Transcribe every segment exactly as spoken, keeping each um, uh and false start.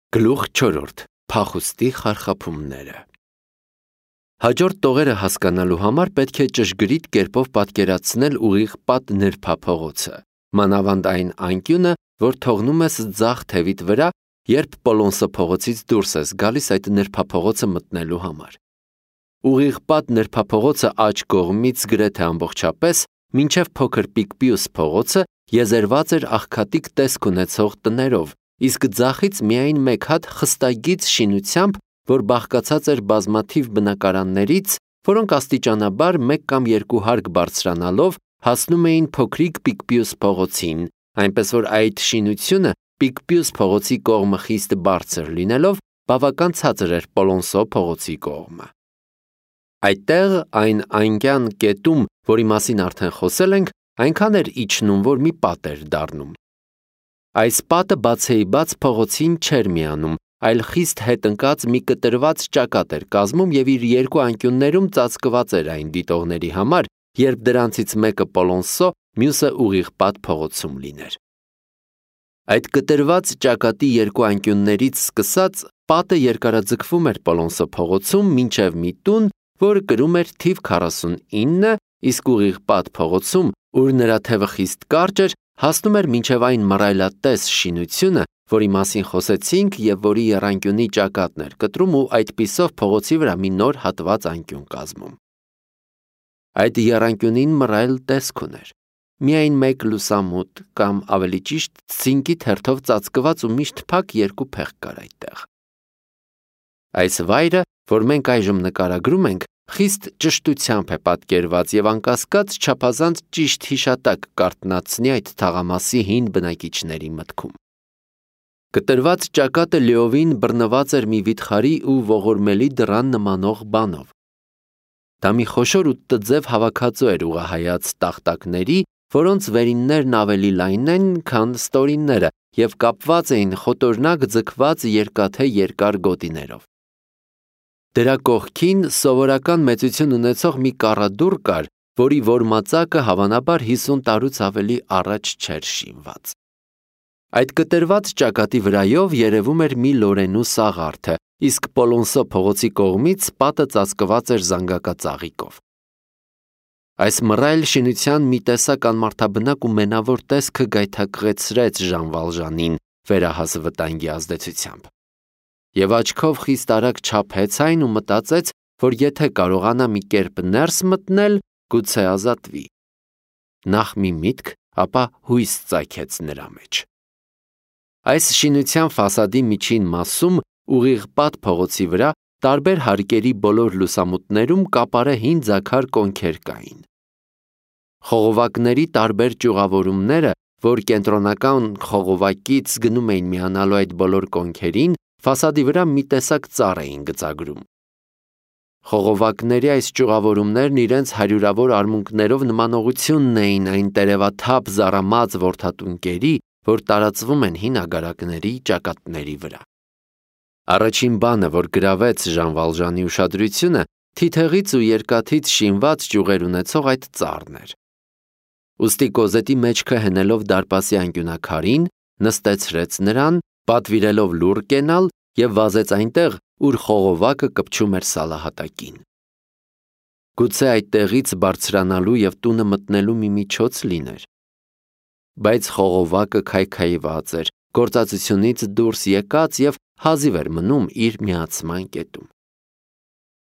Գլուխ չորրորդ. Փախուստի խարխափումները։ Հաջորդ տողերը հասկանալու համար պետք է ճշգրիտ կերպով պատկերացնել ուղիղ պատ նրբափողոցը, մանավանդ այն անկյունը, որ թողնում ես ձախ թևիդ վրա, երբ Պոլոնսո փողոցից դուրս ես գալիս այդ նրբափողոցը մտնելու համար։ Ուղիղ պատ նրբափողոցը աջ կողմից գրեթե ամբողջապես, մինչև փոքր Պիկպիուս փողոցը եզերված էր աղքատիկ տեսք ունեցող տներով, իսկ ձախից միայն մեկ հատ խստագիծ շինությամբ, որ բաղկացած էր բազմաթիվ բնակարաններից, որոնք աստիճանաբար մեկ կամ երկու հարկ բարձրանալով հասնում էին փոքրիկ Պիկպիուս փողոցին, այնպես որ այդ շինությունը Պիկպիուս փողոցի կողմը խիստ բարձր լինելով, բավական ցածր էր Պոլոնսո փողոցի կողմը։ Այդտեղ այն անկյան կետում, որի մասին արդեն խոսել ենք, այնքան էր իջնում, որ մի պատ էր դառնում։ Այս պատը բացեիբաց փողոցին չէր միանում, այլ խիստ հետ ընկած մի կտրված ճակատ էր կազմում և իր երկու անկյուններում ծածկված էր այն դիտողների համար, երբ դրանցից մեկը Պոլոնսո, մյուսը ուղիղ պատ փողոցում լիներ։ Այդ կտրված ճակատի երկու անկյուններից սկսած պատը երկարաձգվում էր Պոլոնսո փողոցում մինչև մի տուն, որը կրում էր թիվ քառասունինը, իսկ ուղիղ պատ փողոցում, ուր նրա թևը խիստ կարճ էր, հասնում էր մինչև այն մռայլատես շինությունը, որի մասին խոսեցինք և որի եռանկյունի ճակատն էր կտրում ու այդպիսով փողոցի վրա մի նոր հատված անկյուն կազմում։ Այդ եռանկյունին մռայլ տեսք ուներ։ Միայն մեկ լուսամուտ կամ ավելի ճիշտ ցինկի թերթով ծածկված ու միշտ փակ երկու փեղ կար այդտեղ։ Այս վայրը, որ մենք այժմ նկարագրում ենք, խիստ ճշտությամբ է պատկերված և անկասկած չափազանց ճիշտ հիշատակ կարթնացնի այդ թաղամասի հին բնակիչների մտքում։ Կտրված ճակատը լիովին բռնված էր մի վիթխարի ու ողորմելի դռան նմանող բանով։ Դա մի խոշոր ու տձև հավաքածու էր ուղղահայաց տախտակների, որոնց վերիններն ավելի լայն են, քան ստորինները և կապված էին խոտորնակ ձգված երկաթե երկար գոտիներով։ Դրա կողքին սովորական մեծություն ունեցող մի կառադուռ կար, որի որմածակը հավանաբար հիսուն տարուց ավելի առաջ չէր շինված։ Այդ կտրված ճակատի վրայով երևում էր մի լորենու սաղարթը, իսկ Պոլոնսո փողոցի կողմից պատը ծածկված էր զանգակածաղիկով։ Այս մռայլ շինության մի տեսակ անմարդաբնակ ու մենավոր տեսքը գայթակղեցրեց Ժան Վալժանին վերահաս վտանգի ազդեցությամբ։ Եվ աչքով խիստ արագ չափեց այն ու մտածեց, որ եթե կարողանա մի կերպ ներս մտնել, գուցե ազատվի։ Նախ մի միտք, ապա հույս ծագեց նրա մեջ։ Այս շինության ֆասադի միջին մասում, ուղիղ պատ փողոցի վրա, տարբեր հարկերի բոլոր լուսամուտներում կապարե հին ձագար կոնքեր կային։ Խողովակների տարբեր ճյուղավորումները, որ կենտրոնական խողովակից գնում էին միանալու այդ բոլոր կոնքերին, ֆասադի վրա մի տեսակ ծառ էին գծագրում։ Խողովակների այս ճյուղավորումներն իրենց հարյուրավոր արմունկներով նմանողությունն էին այն տերևաթափ զառամած որդատունկերի, որ տարածվում են հին ագարակների ճակատների վրա։ Առաջին բանը, որ գրավեց Ժան Վալժանի ուշադրությունը, թիթեղից ու երկաթից շինված ճյուղեր ունեցող այդ ծառն էր։ Ուստի կոզետի մեջքը հենելով դարպասի անկյունակարին, նստեցրեց նրան, պատվիրելով լուռ կենալ և վազեց այնտեղ, ուր խողովակը կպչում էր սալահատակին։ Գուցե այդտեղից բարձրանալու և տունը մտնելու մի միջոց լիներ։ Բայց խողովակը քայքայված էր, գործածությունից դուրս եկած և հազիվ էր մնում իր միացման կետում։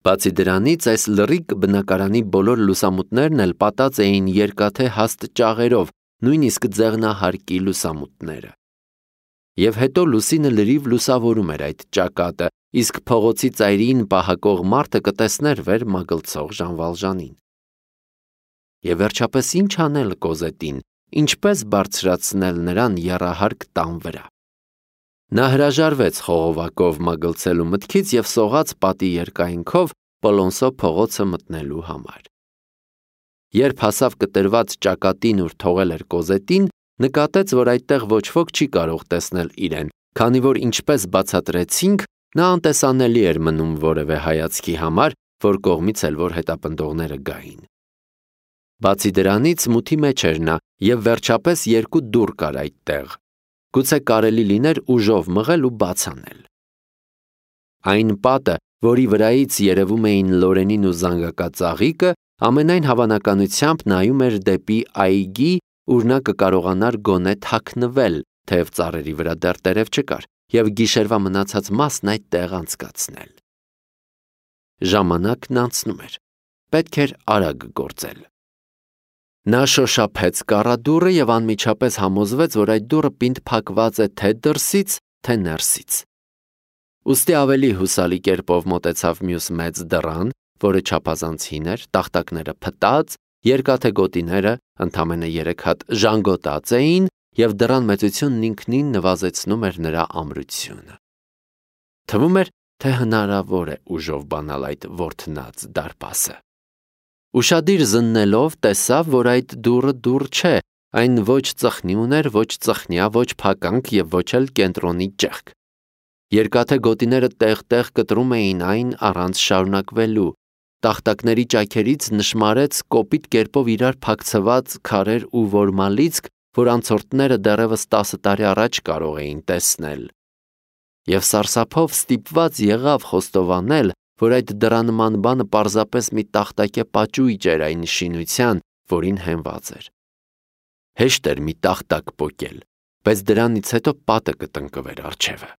Բացի դրանից, այս լռիկ բնակարանի բոլոր լուսամուտներն էլ պատած էին երկաթե հաստ ճաղերով, նույնիսկ ձեղնահարկի լուսամուտները։ Եվ հետո լուսինը լրիվ լուսավորում էր այդ ճակատը, իսկ փողոցի ծայրին պահակող մարդը կտեսներ վեր մագլցող Ժան Վալժանին։ Եվ վերջապես ինչ անել Կոզետին, ինչպես բարձրացնել նրան եռահարկ տան վրա։ Նա հրաժարվեց խողովակով մագլցելու մտքից և սողաց պատի երկայնքով Պոլոնսո փողոցը մտնելու համար։ Երբ հասավ կտրված ճակատին, ուր թողել էր Կոզետին, նկատեց, որ այդտեղ ոչ ոք չի կարող տեսնել իրեն, քանի որ ինչպես բացատրեցինք, նա անտեսանելի էր մնում որևէ հայացքի համար, որ կողմից էլ որ հետապնդողները գային։ Բացի դրանից մութի մեջ էր նա և վերջապես երկու դուռ կար այդտեղ։ գուցե կարելի լիներ ուժով մղել ու բաց անել։ Այն պատը, որի վրայից երևում էին Լորենին ու զանգակա ծաղիկը, ամենայն հավանականությամբ նայում էր դեպի այգի, ուր նա կկարողանար գոնե թաքնվել, թեև ծառերի վրա դեռ տերև չկար, և գիշերվա մնացած մասն այդտեղ անցկացնել։ Ժամանակն անցնում էր, պետք էր արագ գործել։ Նա շոշափեց կառադուռը և անմիջապես համոզվեց, որ այդ դուռը պինդ փակված է թե դրսից, թե ներսից։ Ուստի ավելի հուսալի կերպով մոտեցավ մյուս մեծ դռան, որը չափազանց հին էր, տախտակները փտած, երկաթե գոտիները ընդամենը երեք հատ ժանգոտած էին, և դռան մեծությունն ինքնին նվազեցնում էր նրա ամրությունը։ Թվում էր, թե հնարավոր է ուժով բանալ այդ ворթնած դարպասը։ Ուշադիր զննելով տեսավ, որ այդ դուռը դուռ չէ, այն ոչ ծխնի ուներ, ոչ ծխնյա, ոչ փականք և ոչ էլ կենտրոնի ճեղք։ Երկաթե գոտիները տեղ-տեղ կտրում էին այն առանց շարունակվելու, տախտակների ճաքերից նշմարեց կոպիտ կերպով իրար փակցված քարեր ու որմալիցք, որ անցորդները դեռևս տասը տարի առաջ կարող էին տեսնել։ Եվ սարսափով ստիպված եղավ խոստովանել, որ այդ դռանման բանը պարզապես մի տախտակե պաճույճ էր այն շինության, որին հենված էր։ Հեշտ էր մի տախտակ պոկել, բայց դրանից հետո պատը կտնկվեր առջևը։